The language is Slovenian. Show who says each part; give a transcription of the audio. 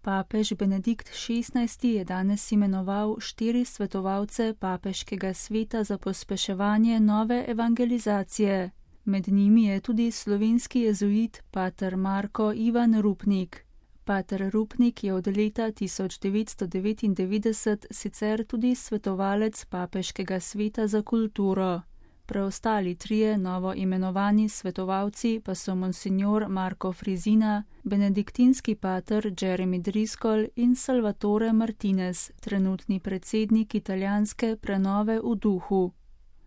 Speaker 1: Papež Benedikt XVI je danes imenoval 4 svetovalce papeškega sveta za pospeševanje nove evangelizacije. Med njimi je tudi slovenski jezuit pater Marko Ivan Rupnik. Pater Rupnik je od leta 1999 sicer tudi svetovalec papeškega sveta za kulturo. Preostali 3 novo imenovani svetovalci pa so monsignor Marko Frizina, benediktinski pater Jeremy Driscoll in Salvatore Martinez, trenutni predsednik italijanske prenove v duhu.